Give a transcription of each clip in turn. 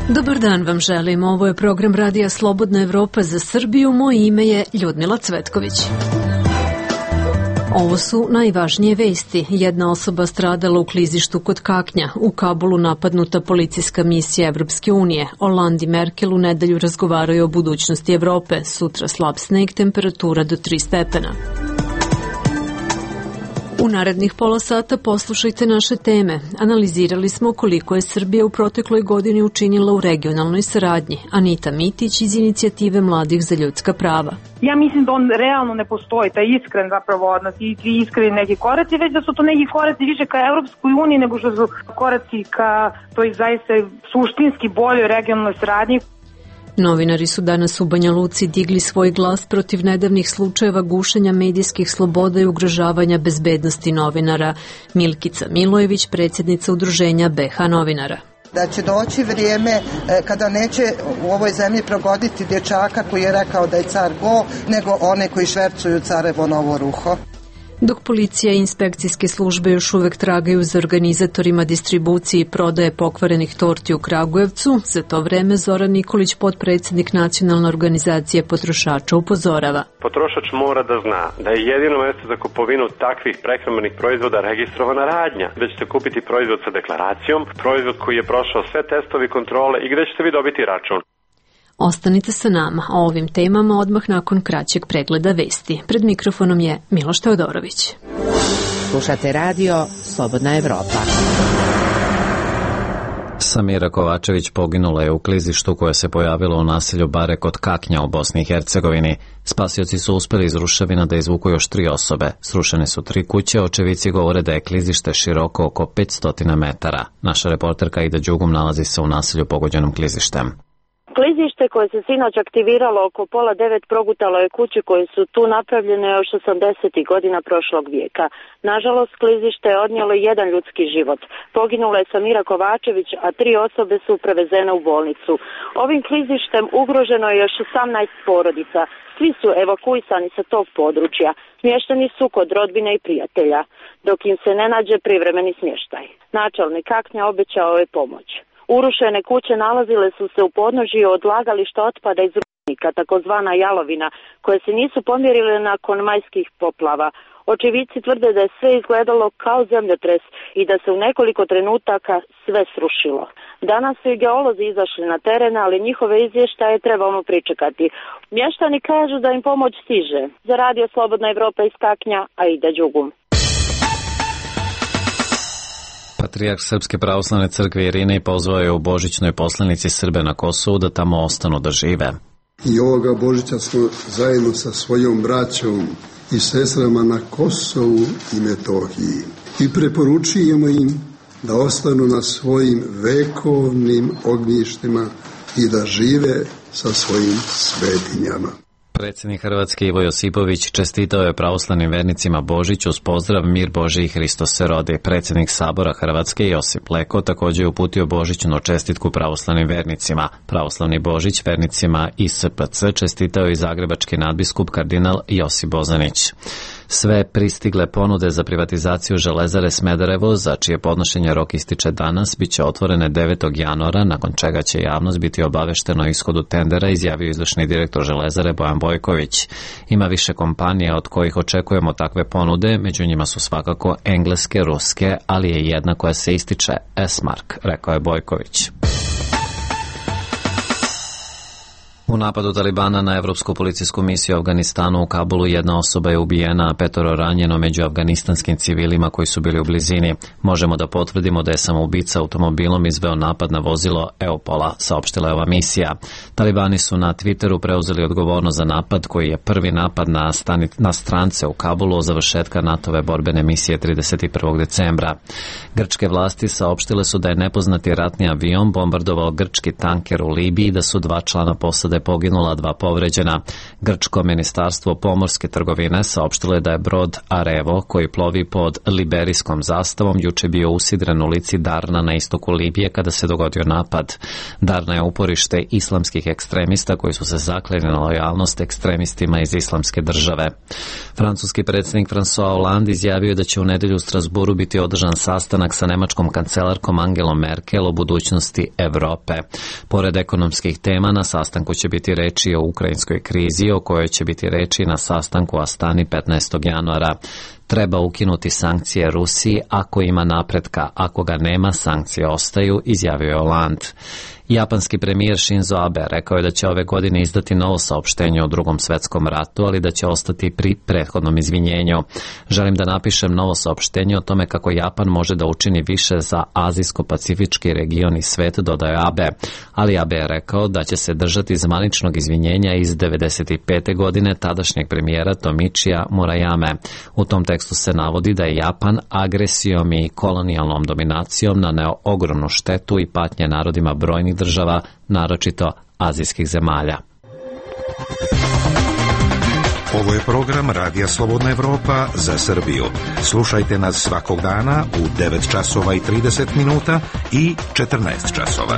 Dobar dan vam želim. Ovo je program Radija Slobodna Evropa za Srbiju. Moje ime je Ljudmila Cvetković. Ovo su najvažnije vesti. Jedna osoba stradala u klizištu kod Kaknja. U Kabulu napadnuta policijska misija Evropske unije. Hollande i Merkel u nedelju razgovaraju o budućnosti Evrope. Sutra slab sneg, temperatura do 3 stepena. U narednih pola sata poslušajte naše teme. Analizirali smo koliko je Srbija u protekloj godini učinila u regionalnoj saradnji. Anita Mitić iz Inicijative mladih za ljudska prava. Ja mislim da on realno ne postoji, taj iskren zapravo odnos i iskreni neki koraci, već da su to neki koraci više ka Evropskoj uniji nego što su koraci ka toj zaista suštinski boljoj regionalnoj saradnji. Novinari su danas u Banja Luci digli svoj glas protiv nedavnih slučajeva gušenja medijskih sloboda i ugrožavanja bezbednosti novinara. Milkica Milojević, predsjednica udruženja BH novinara. Da će doći vrijeme kada neće u ovoj zemlji progoditi dječaka koji je rekao da je car go, nego one koji švercuju carevo novo ruho. Dok policija i inspekcijske službe još uvek tragaju za organizatorima distribucije i prodaje pokvarenih torti u Kragujevcu, za to vreme Zoran Nikolić, potpredsjednik Nacionalne organizacije potrošača, upozorava. Potrošač mora da zna da je jedino mjesto za kupovinu takvih prehrambenih proizvoda registrovana radnja, da ćete kupiti proizvod sa deklaracijom, proizvod koji je prošao sve testovi kontrole i gde ćete vi dobiti račun. Ostanite sa nama o ovim temama odmah nakon kraćeg pregleda vesti. Pred mikrofonom je Miloš Teodorović. Slušate radio Slobodna Evropa. Samira Kovačević poginula je u klizištu koje se pojavilo u naselju Bare kod Kaknja u Bosni i Hercegovini. Spasioci su uspeli iz ruševina da izvuku još 3 osobe. Srušene su 3 kuće, očevici govore da je klizište široko oko 500 metara. Naša reporterka Ida Đugum nalazi se u naselju pogođenom klizištem. Klizište koje se sinoć aktiviralo oko 8:30 progutalo je kuće koje su tu napravljene još 80. godina prošlog vijeka. Nažalost, klizište je odnijelo jedan ljudski život. Poginula je Samira Kovačević, a 3 osobe su prevezene u bolnicu. Ovim klizištem ugroženo je još 18 porodica. Svi su evakuisani sa tog područja. Smješteni su kod rodbine i prijatelja, dok im se ne nađe privremeni smještaj. Načelnik Kaknja obećao je pomoć. Urušene kuće nalazile su se u podnožju odlagališta otpada iz rudnika, takozvana jalovina, koje se nisu pomjerile nakon majskih poplava. Očevici tvrde da je sve izgledalo kao zemljotres i da se u nekoliko trenutaka sve srušilo. Danas su i geolozi izašli na teren, ali njihove izvještaje trebamo pričekati. Mještani kažu da im pomoć stiže. Za radio Slobodna Evropa iz Kaknja, Aida Đugum. Patrijarh Srpske pravoslavne crkve Irinej pozvao je u božićnoj poslanici Srbe na Kosovu da tamo ostanu da žive. I ovoga Božića smo zajedno sa svojom braćom i sestrama na Kosovu i Metohiji. I preporučujemo im da ostanu na svojim vekovnim ognjištima i da žive sa svojim svetinjama. Predsjednik Hrvatske Ivo Josipović čestitao je pravoslavnim vernicima Božić uz pozdrav Mir Božji i Hristos se rodi. Predsjednik Sabora Hrvatske Josip Leko također je uputio božićnu čestitku pravoslavnim vernicima. Pravoslavni Božić vernicima ISPC čestitao i zagrebački nadbiskup kardinal Josip Bozanić. Sve pristigle ponude za privatizaciju Železare Smederevo, za čije podnošenje rok ističe danas, bit će otvorene 9. januara, nakon čega će javnost biti obavešteno o ishodu tendera, izjavio izvršni direktor Železare Bojan Bojković. Ima više kompanija od kojih očekujemo takve ponude, među njima su svakako engleske, ruske, ali je jedna koja se ističe, S-Mark, rekao je Bojković. U napadu Talibana na Evropsku policijsku misiju u Afganistanu u Kabulu jedna osoba je ubijena, a 5 ranjeno među afganistanskim civilima koji su bili u blizini. Možemo da potvrdimo da je samoubica automobilom izveo napad na vozilo Eupola, saopštila je ova misija. Talibani su na Twitteru preuzeli odgovornost za napad koji je prvi napad na strance u Kabulu od završetka NATO-ve borbene misije 31. decembra. Grčke vlasti saopštile su da je nepoznati ratni avion bombardovao grčki tanker u Libiji i da su 2 člana posade poginula, 2 povređena. Grčko ministarstvo pomorske trgovine saopštilo je da je brod Arevo, koji plovi pod liberijskom zastavom, juče bio usidren u lici Darna na istoku Libije kada se dogodio napad. Darna je uporište islamskih ekstremista koji su se zakleli na lojalnost ekstremistima iz Islamske države. Francuski predsjednik François Hollande izjavio da će u nedelju u Strasburu biti održan sastanak sa nemačkom kancelarkom Angelom Merkel o budućnosti Evrope. Pored ekonomskih tema, na sastanku će biti reči o ukrajinskoj krizi, o kojoj će biti reči na sastanku u Astani 15. januara. Treba ukinuti sankcije Rusiji ako ima napretka, ako ga nema, sankcije ostaju, izjavio je Hollande. Japanski premijer Shinzo Abe rekao je da će ove godine izdati novo saopštenje o Drugom svetskom ratu, ali da će ostati pri prethodnom izvinjenju. Želim da napišem novo saopštenje o tome kako Japan može da učini više za azijsko-pacifički region i svet, dodaje Abe. Ali Abe je rekao da će se držati zvaničnog izvinjenja iz 1995. godine tadašnjeg premijera Tomichija Murayame. U tom tekstu se navodi da je Japan agresijom i kolonijalnom dominacijom naneo ogromnu štetu i patnje narodima brojnih država, naročito azijskih zemalja. Ovo je program Radija Slobodna Evropa za Srbiju. Slušajte nas svakog dana u 9 časova i 30 minuta i 14 časova.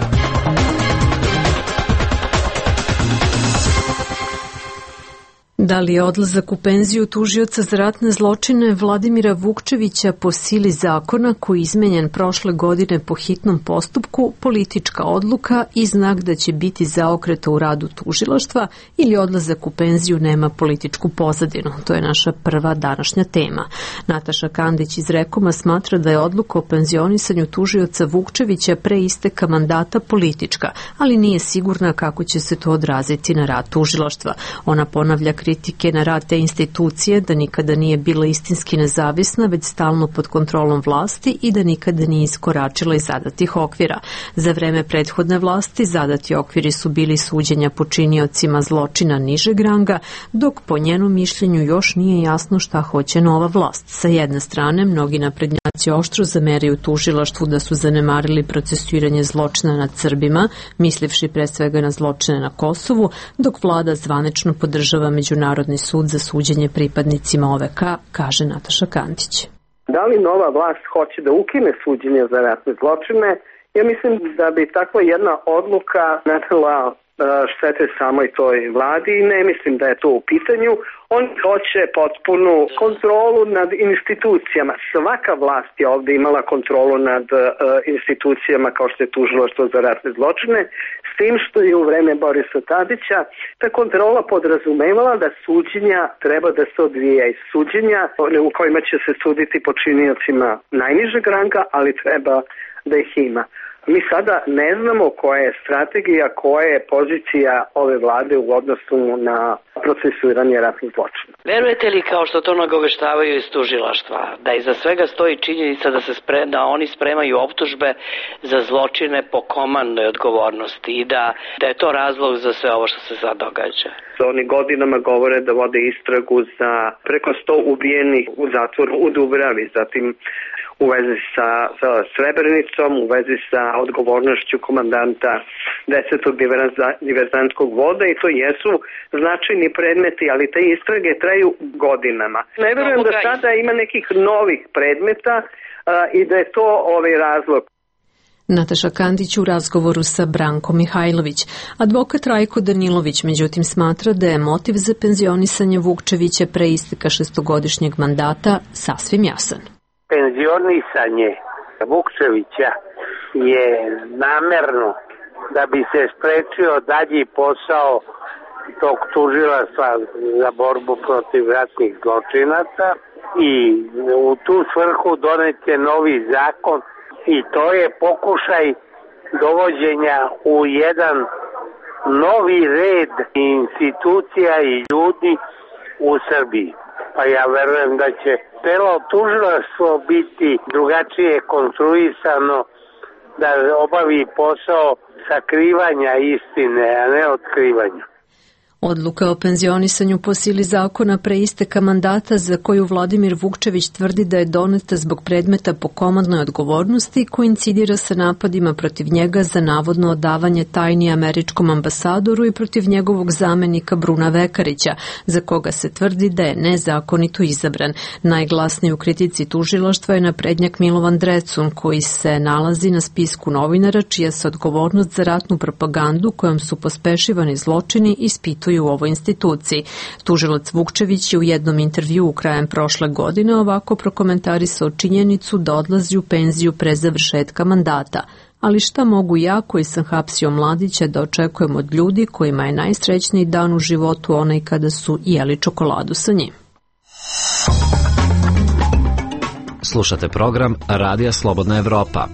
Da li je odlazak u penziju tužioca za ratne zločine Vladimira Vukčevića po sili zakona koji je izmenjen prošle godine po hitnom postupku politička odluka i znak da će biti zaokreta u radu tužilaštva ili odlazak u penziju nema političku pozadinu? To je naša prva današnja tema. Nataša Kandić iz Rekoma smatra da je odluka o penzionisanju tužioca Vukčevića pre isteka mandata politička, ali nije sigurna kako će se to odraziti na rad tužilaštva. Ona ponavlja kritike na rad te institucije da nikada nije bila istinski nezavisna, već stalno pod kontrolom vlasti i da nikada nije iskoračila iz zadatih okvira. Za vreme prethodne vlasti zadati okviri su bili suđenja počiniocima zločina nižeg ranga, dok po njenom mišljenju još nije jasno šta hoće nova vlast. Sa jedne strane, mnogi naprednjaci oštro zameraju tužilaštvu da su zanemarili procesuiranje zločina nad Srbima, mislivši pre svega na zločine na Kosovu, dok vlada zvanično podržava Međunarodni sud za suđenje pripadnicima OVK, kaže Nataša Kandić. Da li nova vlast hoće da ukine suđenje za ratne zločine? Ja mislim da bi takva jedna odluka nanela štete samoj toj vladi i ne mislim da je to u pitanju. On hoće potpunu kontrolu nad institucijama. Svaka vlast je ovde imala kontrolu nad institucijama kao što je tužilaštvo za ratne zločine, s tim što je u vreme Borisa Tadića ta kontrola podrazumevala da suđenja treba da se odvija iz suđenja u kojima će se suditi počiniocima najnižeg ranga, ali treba da ih ima. Mi sada ne znamo koja je strategija, koja je pozicija ove vlade u odnosu na procesuiranje ratnih zločina. Verujete li, kao što to nagoveštavaju iz tužilaštva, da iza svega stoji činjenica da oni spremaju optužbe za zločine po komandnoj odgovornosti i da je to razlog za sve ovo što se sad događa? Oni godinama govore da vode istragu za preko 100 ubijenih u zatvoru u Dubravi, zatim u vezi sa Srebrenicom, u vezi sa odgovornošću komandanta 10. diverzantskog voda i to jesu značajni predmeti, ali te istrage traju godinama. Ne verujem da sada ima nekih novih predmeta i da je to ovaj razlog. Nataša Kandić u razgovoru sa Brankom Mihajlović. Advokat Rajko Danilović međutim smatra da je motiv za penzionisanje Vukčevića pre isteka 6-godišnjeg mandata sasvim jasan. Penzionisanje Vukčevića je namerno da bi se sprečio dalji posao tog tužilaštva za borbu protiv ratnih zločinaca i u tu svrhu donet je novi zakon i to je pokušaj dovođenja u jedan novi red institucija i ljudi u Srbiji. Pa ja verujem da će celo tužilaštvo biti drugačije konstruisano da obavi posao sakrivanja istine, a ne otkrivanja. Odluka o penzionisanju po sili zakona pre isteka mandata za koju Vladimir Vukčević tvrdi da je doneta zbog predmeta po komandnoj odgovornosti koincidira sa napadima protiv njega za navodno odavanje tajni američkom ambasadoru i protiv njegovog zamenika Bruna Vekarića, za koga se tvrdi da je nezakonito izabran. Najglasniji u kritici tužilaštva je naprednjak Milovan Drecun, koji se nalazi na spisku novinara čija se odgovornost za ratnu propagandu kojom su pospešivani zločini ispituju u ovoj instituciji. Tužilac Vukčević je u jednom intervjuu krajem prošle godine ovako prokomentarisao činjenicu da odlazi u penziju pre završetka mandata. Ali šta mogu ja, koji sam hapsio mladića, da očekujem od ljudi kojima je najsrećniji dan u životu onaj kada su jeli čokoladu sa njim? Slušate program Radija Slobodna Evropa.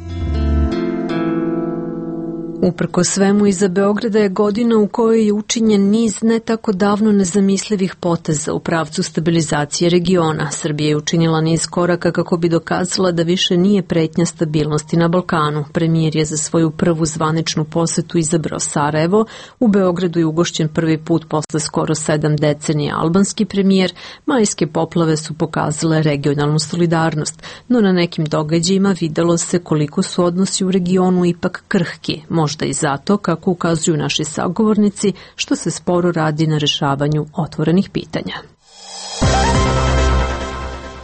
Uprko svemu, iza Beograda je godina u kojoj je učinjen niz ne tako davno nezamislivih poteza u pravcu stabilizacije regiona. Srbija je učinila niz koraka kako bi dokazala da više nije pretnja stabilnosti na Balkanu. Premijer je za svoju prvu zvaničnu posetu izabrao Sarajevo. U Beogradu je ugošćen prvi put posle skoro 7 decenija albanski premijer. Majske poplave su pokazale regionalnu solidarnost, no na nekim događajima videlo se koliko su odnosi u regionu ipak krhki. Možda i zato, kako ukazuju naši sagovornici, što se sporo radi na rešavanju otvorenih pitanja.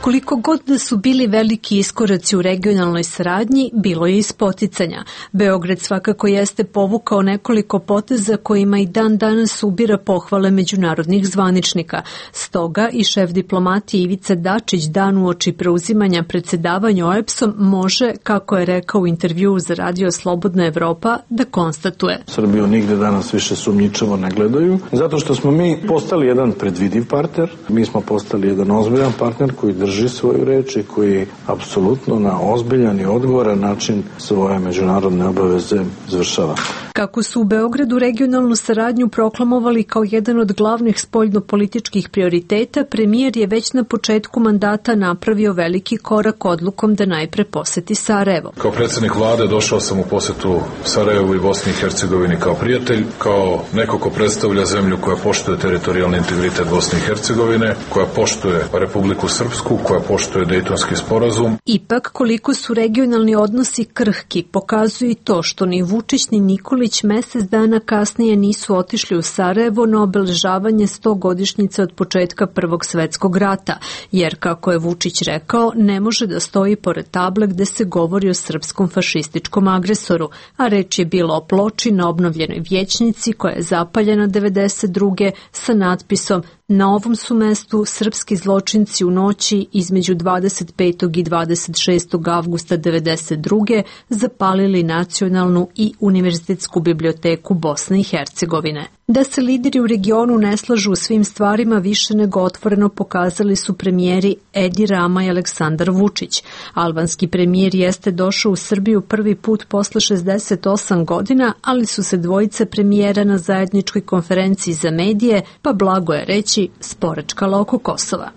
Koliko god da su bili veliki iskoraci u regionalnoj saradnji, bilo je i spoticanja. Beograd svakako jeste povukao nekoliko poteza kojima i dan danas ubira pohvale međunarodnih zvaničnika. Stoga i šef diplomatije Ivica Dačić dan uoči preuzimanja predsedavanja OEBS-om može, kako je rekao u intervjuu za Radio Slobodna Evropa, da konstatuje. Srbiju nigde danas više sumnjičavo ne gledaju, zato što smo mi postali jedan predvidiv partner, mi smo postali jedan ozbiljan partner koji drži svoju reč i koji apsolutno na ozbiljan i odgovoran način svoje međunarodne obaveze izvršava. Kako su u Beogradu regionalnu saradnju proklamovali kao jedan od glavnih spoljnopolitičkih prioriteta, premijer je već na početku mandata napravio veliki korak odlukom da najpre poseti Sarajevo. Kao predsjednik vlade došao sam u posetu Sarajevu i Bosni i Hercegovini kao prijatelj, kao neko ko predstavlja zemlju koja poštuje teritorijalni integritet Bosne i Hercegovine, koja poštuje Republiku Srpsku, koja poštuje Dejtonski sporazum. Ipak, koliko su regionalni odnosi krhki, pokazuje i to što ni Vučić ni Nikolić mesec dana kasnije nisu otišli u Sarajevo na obeležavanje 100-godišnjice od početka Prvog svetskog rata, jer, kako je Vučić rekao, ne može da stoji pored table gde se govori o srpskom fašističkom agresoru, a reč je bilo o ploči na obnovljenoj vijećnici koja je zapaljena 92. sa natpisom "Na ovom su mestu srpski zločinci u noći između 25. i 26. avgusta 92. zapalili nacionalnu i univerzitetsku biblioteku Bosne i Hercegovine." Da se lideri u regionu ne slažu u svim stvarima više nego otvoreno pokazali su premijeri Edi Rama i Aleksandar Vučić. Albanski premijer jeste došao u Srbiju prvi put posle 68 godina, ali su se dvojice premijera na zajedničkoj konferenciji za medije, pa blago je reći, sporečkala oko Kosova.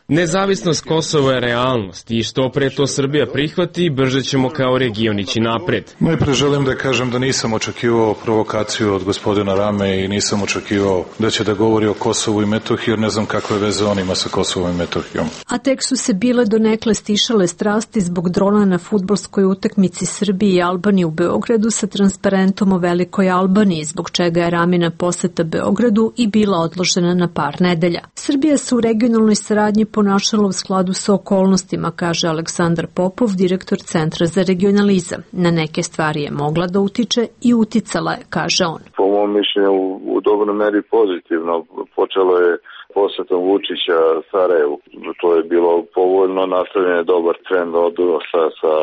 Nezavisnost Kosova je realnost i što pre to Srbija prihvati, brže ćemo kao region ići napred. Najpre želim da kažem da nisam očekivao provokaciju od gospodina Rame i nisam očekivao da će da govori o Kosovu i Metohiji, jer ne znam kakve veze on ima sa Kosovom i Metohijom. A tek su se bile donekle stišale strasti zbog drona na fudbalskoj utakmici Srbije i Albanije u Beogradu sa transparentom o Velikoj Albaniji, zbog čega je Ramina poseta Beogradu i bila odložena na par nedelja. Srbija se u regionalnoj saradnji ponašala u skladu sa okolnostima, kaže Aleksandar Popov, direktor Centra za regionalizam. Na neke stvari je mogla da utiče i uticala je, kaže on. Po mom mišljenju u dobroj meri pozitivno. Počelo je posetom Vučića Sarajevu. To je bilo povoljno, nastavljen je dobar trend odnosa sa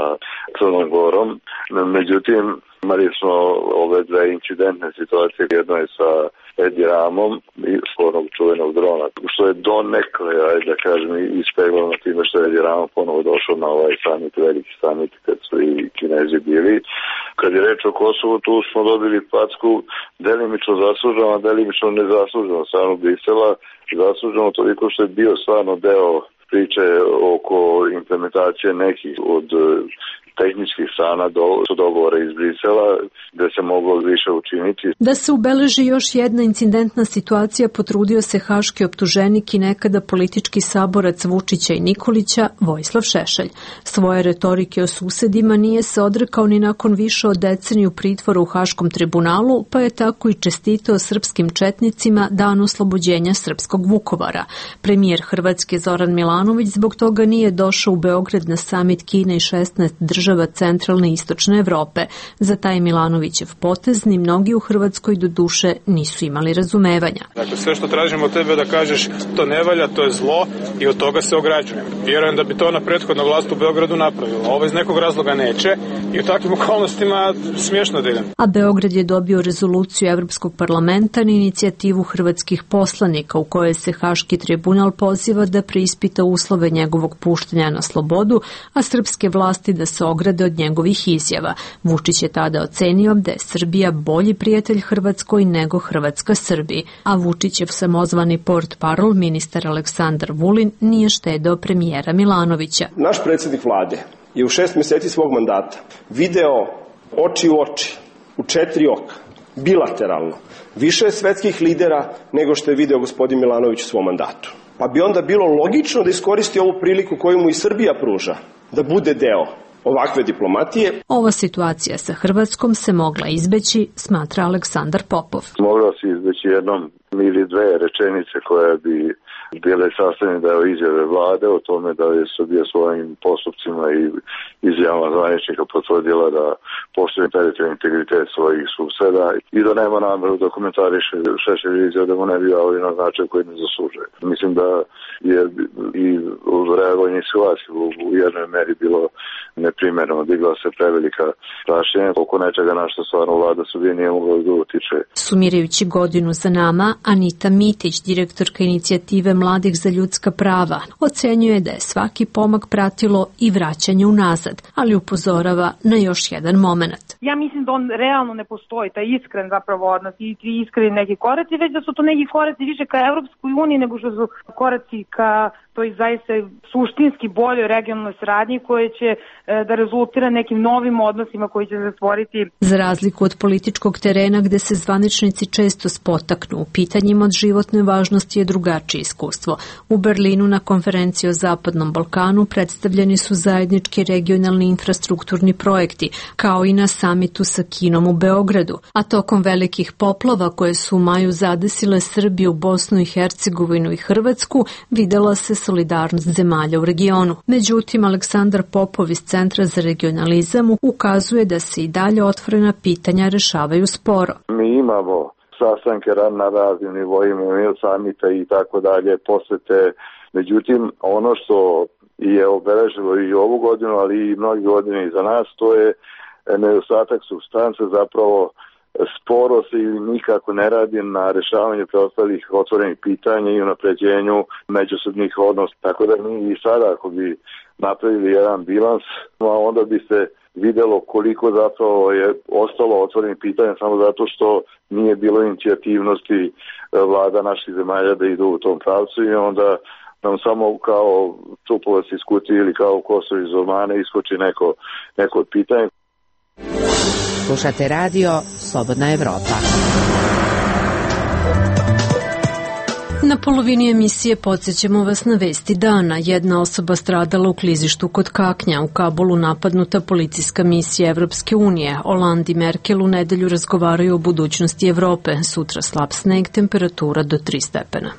Crnom Gorom. Međutim, imali smo ove dve incidentne situacije. Jedno je sa Edi Ramom i onog čuvenog drona, što je donekle, da kažem, ispeglano time što je Edi Rama ponovo došao na ovaj summit, veliki summit, kad su i Kinezi bili. Kad je reč o Kosovu, tu smo dobili packu delimično zasluženo, a delimično nezasluženo stranu Brisela. Zasluženo toliko što je bio stvarno deo priče oko implementacije nekih od tehničkih strana su dogovore iz Brisela gde se moglo više učiniti. Da se ubeleži još jedna incidentna situacija potrudio se haški optuženik i nekada politički saborac Vučića i Nikolića Vojislav Šešelj. Svoje retorike o susedima nije se odrekao ni nakon više od deceniju pritvora u Haškom tribunalu, pa je tako i čestitao srpskim četnicima dan oslobođenja srpskog Vukovara. Premijer Hrvatske Zoran Milanović zbog toga nije došao u Beograd na samit Kine i 16 država centralne i istočne Evrope. Za taj Milanovićev potez ni mnogi u Hrvatskoj do duše nisu imali razumevanja. Dakle, sve što tražimo od tebe da kažeš to ne valja, to je zlo i od toga se ograđujem. Vjerujem da bi to na prethodna vlast u Beogradu napravila. Ovo iz nekog razloga neće i u takvim okolnostima smiješno da idem. A Beograd je dobio rezoluciju Evropskog parlamenta na inicijativu hrvatskih poslanika u kojoj se Haški tribunal poziva da preispita uslove njegovog puštanja na slobodu, a srpske vlasti da se ograde od njegovih izjava. Vučić je tada ocenio da je Srbija bolji prijatelj Hrvatskoj nego Hrvatska Srbiji, a Vučićev samozvani portparol ministar Aleksandar Vulin nije štedeo premijera Milanovića. Naš predsjednik vlade je u 6 mjeseci svog mandata video oči u oči, u 4 oka, bilateralno, više svetskih lidera nego što je video gospodin Milanović u svom mandatu. Pa bi onda bilo logično da iskoristi ovu priliku koju mu i Srbija pruža, da bude deo ovakve diplomatije. Ova situacija sa Hrvatskom se mogla izbeći, smatra Aleksandar Popov. Mogla se izbeći jednom ili dve rečenice koje bi bile sastavljene deo izjave vlade o tome da je Srbija svojim postupcima i izjavama zvaničnika potvrdila da poštuje teritorijalni integritet svojih suseda i da nema nameru da komentariše Šešelj izjava da mu ne bi javili na značaj koji ne zaslužuje. Mislim da je i reagovanje situacije u jednoj meri bilo neprimerno, digla se prevelika prašenja oko nečega na što stvarno vlada Srbije nije mogla da utiče. Sumirajući godinu za nama, Anita Mitić, direktorka inicijative Mladih za ljudska prava, ocenjuje da je svaki pomak pratilo i vraćanje unazad, ali upozorava na još jedan moment. Ja mislim da on realno ne postoji, taj iskren zapravo odnos i iskreni neki koraci, već da su to neki koraci više ka Evropskoj uniji nego što su koraci ka toj zaista suštinski boljoj regionalnoj saradnji koje će da rezultira nekim novim odnosima koji će se stvoriti. Za razliku od političkog terena gde se zvaničnici često spotaknu u pitanjima od životne važnosti je drugačije iskustvo. U Berlinu na konferenciji o Zapadnom Balkanu predstavljeni su zajednički regionalni infrastrukturni projekti, kao i na samitu sa Kinom u Beogradu. A tokom velikih poplava koje su u maju zadesile Srbiju, Bosnu i Hercegovinu i Hrvatsku, videla se solidarnost zemalja u regionu. Međutim, Aleksandar Popov iz Centra za regionalizam ukazuje da se i dalje otvorena pitanja rešavaju sporo. Mi imamo sastanke na raznim nivoima, samita i tako dalje, posete. Međutim, ono što je obeležilo i ovu godinu, ali i mnogi godine iza nas, to je nedostatak supstance, zapravo sporo se ili nikako ne radi na rešavanju preostalih otvorenih pitanja i unapređenju međusobnih odnosa. Tako da mi i sada, ako bi napravili jedan bilans, onda bi se videlo koliko zapravo je ostalo otvorenih pitanja samo zato što nije bilo inicijativnosti vlada naših zemalja da idu u tom pravcu i onda nam samo kao čupovac iz kutije ili kao kosovo iz ormana iskoči neko od pitanja. Slušate radio Slobodna Evropa. Na polovini emisije podsjećamo vas na vesti dana. Jedna osoba stradala u klizištu kod Kaknja. U Kabulu napadnuta policijska misija Evropske unije. Hollande i Merkel u nedelju razgovaraju o budućnosti Evrope. Sutra slab sneg, temperatura do 3 stepena.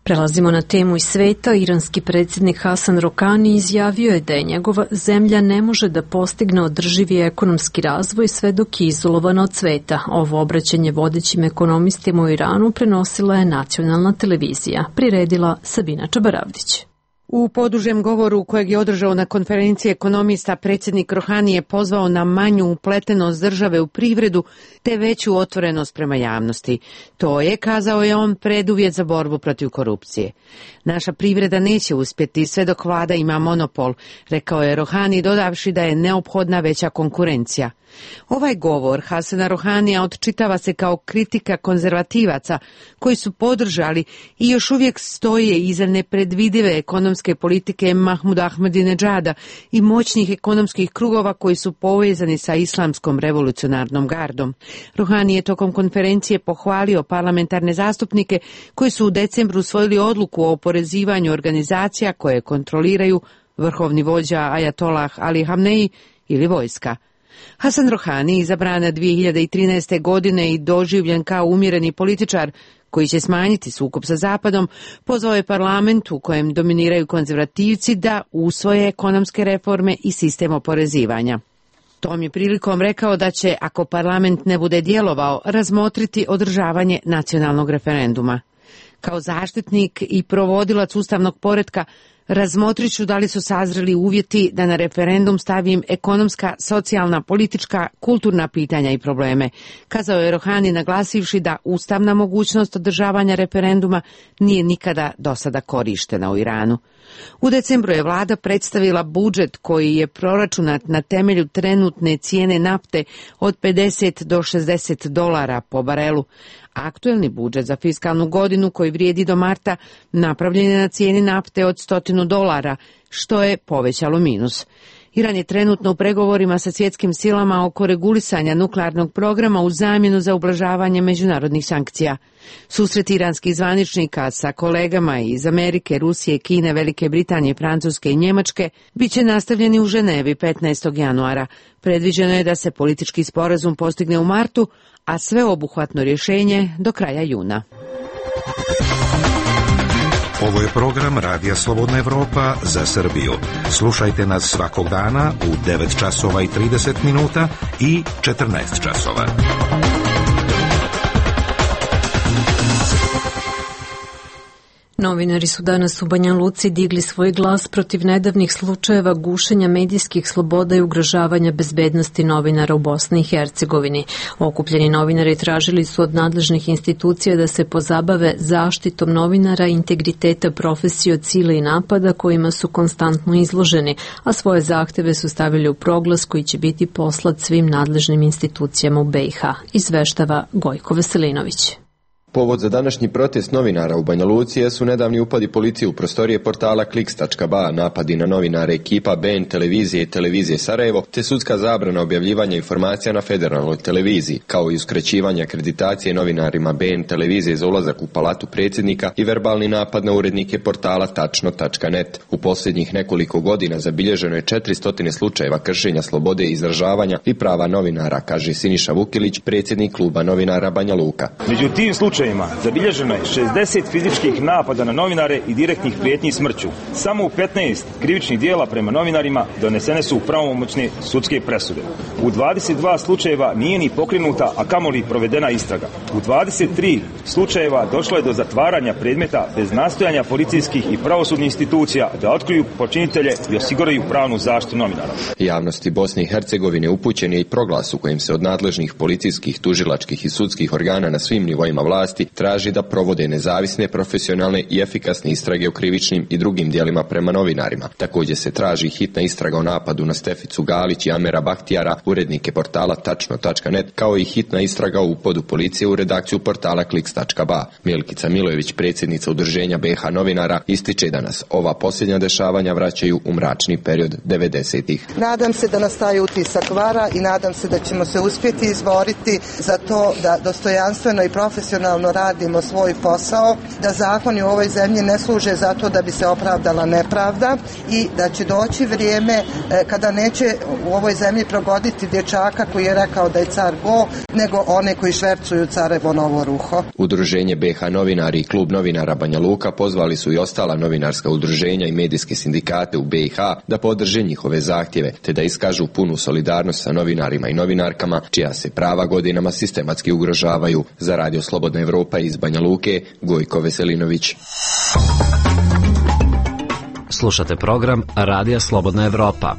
Prelazimo na temu iz sveta. Iranski predsjednik Hasan Rohani izjavio je da je njegova zemlja ne može da postigne održivi ekonomski razvoj sve dok je izolovana od sveta. Ovo obraćanje vodećim ekonomistima u Iranu prenosila je nacionalna televizija. Priredila Sabina Čabaravdić. U podužem govoru kojeg je održao na konferenciji ekonomista, predsjednik Rohani je pozvao na manju upletenost države u privredu te veću otvorenost prema javnosti. To je, kazao je on, preduvjet za borbu protiv korupcije. Naša privreda neće uspjeti sve dok vlada ima monopol, rekao je Rohani, dodavši da je neophodna veća konkurencija. Ovaj govor Hasana Rohanija odčitava se kao kritika konzervativaca koji su podržali i još uvijek stoje iza nepredvidive ekonomske politike Mahmuda Ahmadinedžada i moćnih ekonomskih krugova koji su povezani sa islamskom revolucionarnom gardom. Rohani je tokom konferencije pohvalio parlamentarne zastupnike koji su u decembru usvojili odluku o oporezivanju organizacija koje kontroliraju vrhovni vođa Ajatollah Ali Hamneji ili vojska. Hasan Rohani, izabran 2013. godine i doživljen kao umjereni političar koji će smanjiti sukob sa Zapadom, pozvao je parlament u kojem dominiraju konzervativci da usvoje ekonomske reforme i sistem oporezivanja. Tom je prilikom rekao da će, ako parlament ne bude djelovao, razmotriti održavanje nacionalnog referenduma. Kao zaštitnik i provodilac ustavnog poretka, razmotrit ću da li su sazreli uvjeti da na referendum stavim ekonomska, socijalna, politička, kulturna pitanja i probleme, kazao je Rohani naglasivši da ustavna mogućnost održavanja referenduma nije nikada do sada korištena u Iranu. U decembru je vlada predstavila budžet koji je proračunat na temelju trenutne cijene nafte od $50 do $60 po barelu. Aktuelni budžet za fiskalnu godinu koji vrijedi do marta napravljen je na cijeni nafte od $100, što je povećalo minus. Iran je trenutno u pregovorima sa svjetskim silama oko regulisanja nuklearnog programa u zamjenu za ublažavanje međunarodnih sankcija. Susret iranskih zvaničnika sa kolegama iz Amerike, Rusije, Kine, Velike Britanije, Francuske i Njemačke bit će nastavljeni u Ženevi 15. januara. Predviđeno je da se politički sporazum postigne u martu, a sveobuhvatno rješenje do kraja juna. Ovo je program Radija Slobodna Evropa za Srbiju. Slušajte nas svakog dana u 9 časova i 30 minuta i 14 časova. Novinari su danas u Banja Luci digli svoj glas protiv nedavnih slučajeva gušenja medijskih sloboda i ugrožavanja bezbednosti novinara u Bosni i Hercegovini. Okupljeni novinari tražili su od nadležnih institucija da se pozabave zaštitom novinara i integriteta profesije od sile i napada kojima su konstantno izloženi, a svoje zahteve su stavili u proglas koji će biti poslat svim nadležnim institucijama u BiH, izveštava Gojko Veselinović. Povod za današnji protest novinara u Banja Luci su nedavni upadi policije u prostorije portala Kliks.ba, napadi na novinare ekipa BN televizije i televizije Sarajevo, te sudska zabrana objavljivanja informacija na federalnoj televiziji, kao i uskraćivanje akreditacije novinarima BN televizije za ulazak u palatu predsjednika i verbalni napad na urednike portala tačno.net. U posljednjih nekoliko godina zabilježeno je 400 slučajeva kršenja slobode izražavanja i prava novinara, kaže Siniša Vukilić, predsjednik kluba novinara Banja Luka. Među tim slučajevima zabilježeno je 60 fizičkih napada na novinare i direktnih prijetnji smrću. Samo u 15 krivičnih dijela prema novinarima donesene su pravomoćne sudske presude. U 22 slučajeva nije ni pokrenuta, a kamoli provedena istraga. U 23 slučajeva došlo je do zatvaranja predmeta bez nastojanja policijskih i pravosudnih institucija da otkriju počinitelje i osiguraju pravnu zaštitu novinara. Javnosti Bosne i Hercegovine upućen je i proglas u kojem se od nadležnih policijskih, tužilačkih i sudskih organa na svim nivoima vlasti traži da provode nezavisne, profesionalne i efikasne istrage o krivičnim i drugim djelima prema novinarima. Također se traži hitna istraga o napadu na Steficu Galić i Amera Bahtijara, urednike portala tačno.net, kao i hitna istraga o upadu policije u redakciju portala Kliks.ba. Milkica Milojević, predsjednica udruženja BiH novinara, ističe da nas ova posljednja dešavanja vraćaju u mračni period 90-ih. Nadam se da nas taj utisak vara i nadam se da ćemo se uspjeti izboriti za to da dostojanstveno i profesionalno radimo svoj posao, da zakoni u ovoj zemlji ne služe zato da bi se opravdala nepravda i da će doći vrijeme kada neće u ovoj zemlji progoditi dječaka koji je rekao da je car go, nego one koji švercuju carevo novo ruho. Udruženje BiH novinari i klub novinara Banja Luka pozvali su i ostala novinarska udruženja i medijske sindikate u BiH da podrže njihove zahtjeve, te da iskažu punu solidarnost sa novinarima i novinarkama čija se prava godinama sistematski ugrožavaju. Za Radio Slobodna Evropa iz Banja Luke, Gojko Veselinović. Slušate program Radija Slobodna Evropa.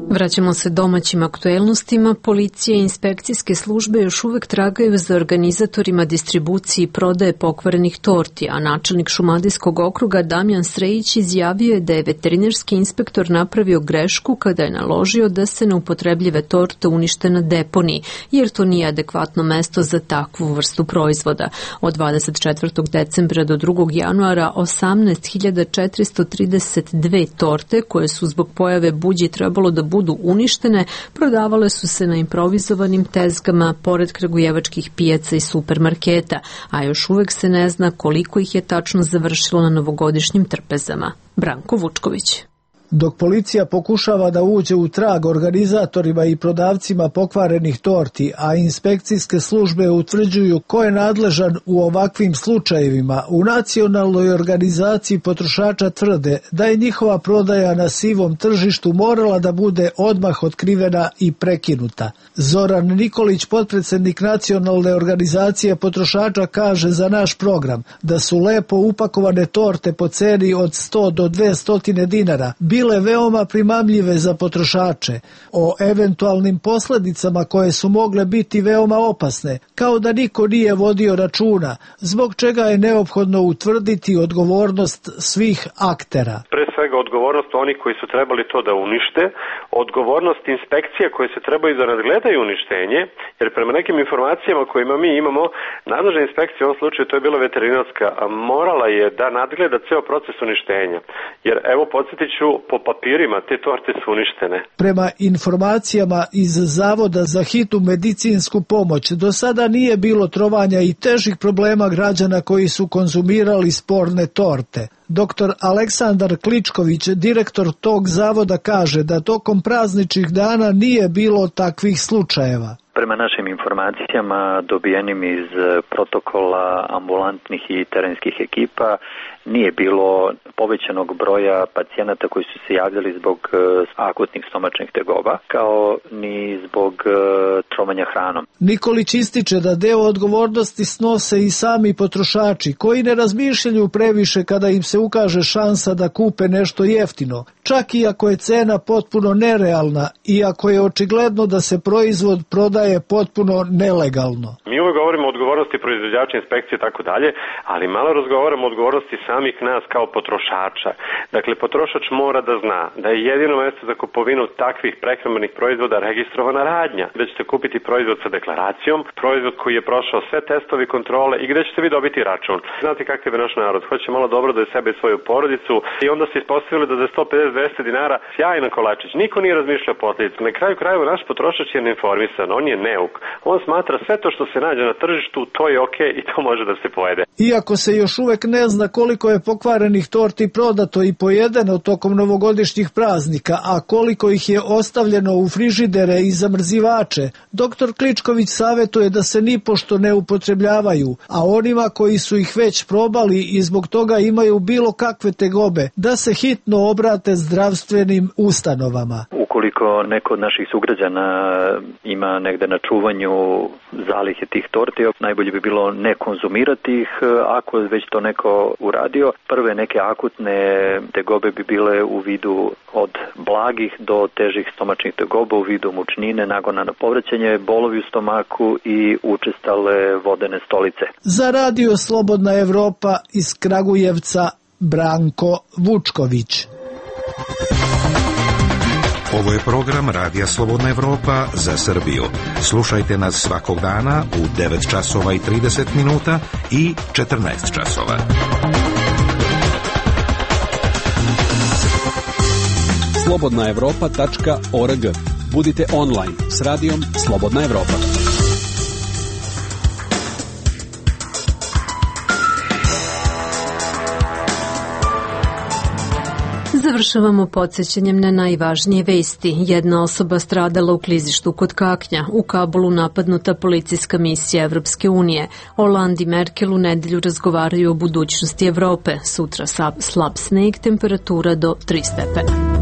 Vraćamo se domaćim aktuelnostima. Policija i inspekcijske službe još uvek tragaju za organizatorima distribucije i prodaje pokvarenih torti, a načelnik Šumadijskog okruga Damjan Srejić izjavio je da je veterinarski inspektor napravio grešku kada je naložio da se neupotrebljive torte unište na deponiji, jer to nije adekvatno mesto za takvu vrstu proizvoda. Od 24. decembra do 2. januara 18.432 torte koje su zbog pojave buđi trebalo da budu uništene, prodavale su se na improvizovanim tezgama pored kragujevačkih pijaca i supermarketa, a još uvek se ne zna koliko ih je tačno završilo na novogodišnjim trpezama. Branko Vučković. Dok policija pokušava da uđe u trag organizatorima i prodavcima pokvarenih torti, a inspekcijske službe utvrđuju ko je nadležan u ovakvim slučajevima, u nacionalnoj organizaciji potrošača tvrde da je njihova prodaja na sivom tržištu morala da bude odmah otkrivena i prekinuta. Zoran Nikolić, potpredsednik nacionalne organizacije potrošača, kaže za naš program da su lepo upakovane torte po ceni od 100 do 200 dinara bile veoma primamljive za potrošače. O eventualnim posledicama koje su mogle biti veoma opasne, kao da niko nije vodio računa, zbog čega je neophodno utvrditi odgovornost svih aktera. Pre svega odgovornost onih koji su trebali to da unište, odgovornost inspekcija koje se trebaju da nadgledaju uništenje, jer prema nekim informacijama kojima mi imamo, nadležna inspekcija u ovom slučaju, to je bila veterinarska, morala je da nadgleda ceo proces uništenja. Jer evo podsjetit ću, po papirima te torte su uništene. Prema informacijama iz Zavoda za hitnu medicinsku pomoć, do sada nije bilo trovanja i težih problema građana koji su konzumirali sporne torte. Dr. Aleksandar Kličković, direktor tog zavoda, kaže da tokom prazničnih dana nije bilo takvih slučajeva. Prema našim informacijama dobijenim iz protokola ambulantnih i terenskih ekipa nije bilo povećanog broja pacijenata koji su se javljali zbog akutnih stomačnih tegoba, kao ni zbog trovanja hranom. Nikolić ističe da deo odgovornosti snose i sami potrošači, koji ne razmišljaju previše kada im se ukaže šansa da kupe nešto jeftino, čak i ako je cena potpuno nerealna i ako je očigledno da se proizvod prodaje potpuno nelegalno. Mi uvek govorimo o odgovornosti proizvođača, inspekcije i tako dalje, ali malo razgovaramo o odgovornosti samih nas kao potrošača. Dakle, potrošač mora da zna da je jedino mesto za kupovinu takvih prehrambenih proizvoda registrovana radnja, gde ćete kupiti proizvod sa deklaracijom, proizvod koji je prošao sve testovi kontrole i gde ćete vi dobiti račun. Znate kakav je naš narod, hoće malo dobro da je sebe i svoju porodicu i onda se ispostavili da za 150-200 dinara sjajan kolačić. Niko nije razmišljao posljedicu. Na kraju krajeva naš potrošač je neinformisan, on je neuk. On smatra sve to što se nađe na tržištu, to je okej i to može da se pojede. Iako se još uvek ne zna koliko je pokvarenih torti prodato i pojedeno tokom novogodišnjih praznika, a koliko ih je ostavljeno u frižidere i zamrzivače, dr. Kličković savjetuje da se nipošto ne upotrebljavaju, a onima koji su ih već probali i zbog toga imaju bilo kakve tegobe, da se hitno obrate zdravstvenim ustanovama. Ukoliko neko od naših sugrađana ima negde na čuvanju zalihe tih torti, najbolje bi bilo ne konzumirati ih, ako već to neko uradio. Prve neke akutne tegobe bi bile u vidu od blagih do težih stomačnih tegoba, u vidu mučnine, nagona na povraćanje, bolovi u stomaku i učestale vodene stolice. Za Radio Slobodna Evropa iz Kragujevca, Branko Vučković. Ovo je program Radija Slobodna Evropa za Srbiju. Slušajte nas svakog dana u 9 časova i 30 minuta i 14 časova. slobodnaevropa.org. Budite online s radijom Slobodna Evropa. Završavamo podsjećanjem na najvažnije vesti. Jedna osoba stradala u klizištu kod Kaknja. U Kabulu napadnuta policijska misija Evropske unije. Hollande i Merkel u nedelju razgovaraju o budućnosti Evrope. Sutra slab sneg, temperatura do 3 stepena.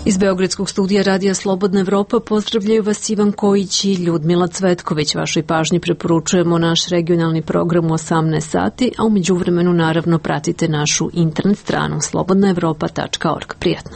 Iz Beogradskog studija Radija Slobodna Evropa pozdravljaju vas Ivan Kojić i Ljudmila Cvetković. Vašoj pažnji preporučujemo naš regionalni program u 18 sati, a u međuvremenu naravno pratite našu internet stranu slobodnaevropa.org. Prijatno.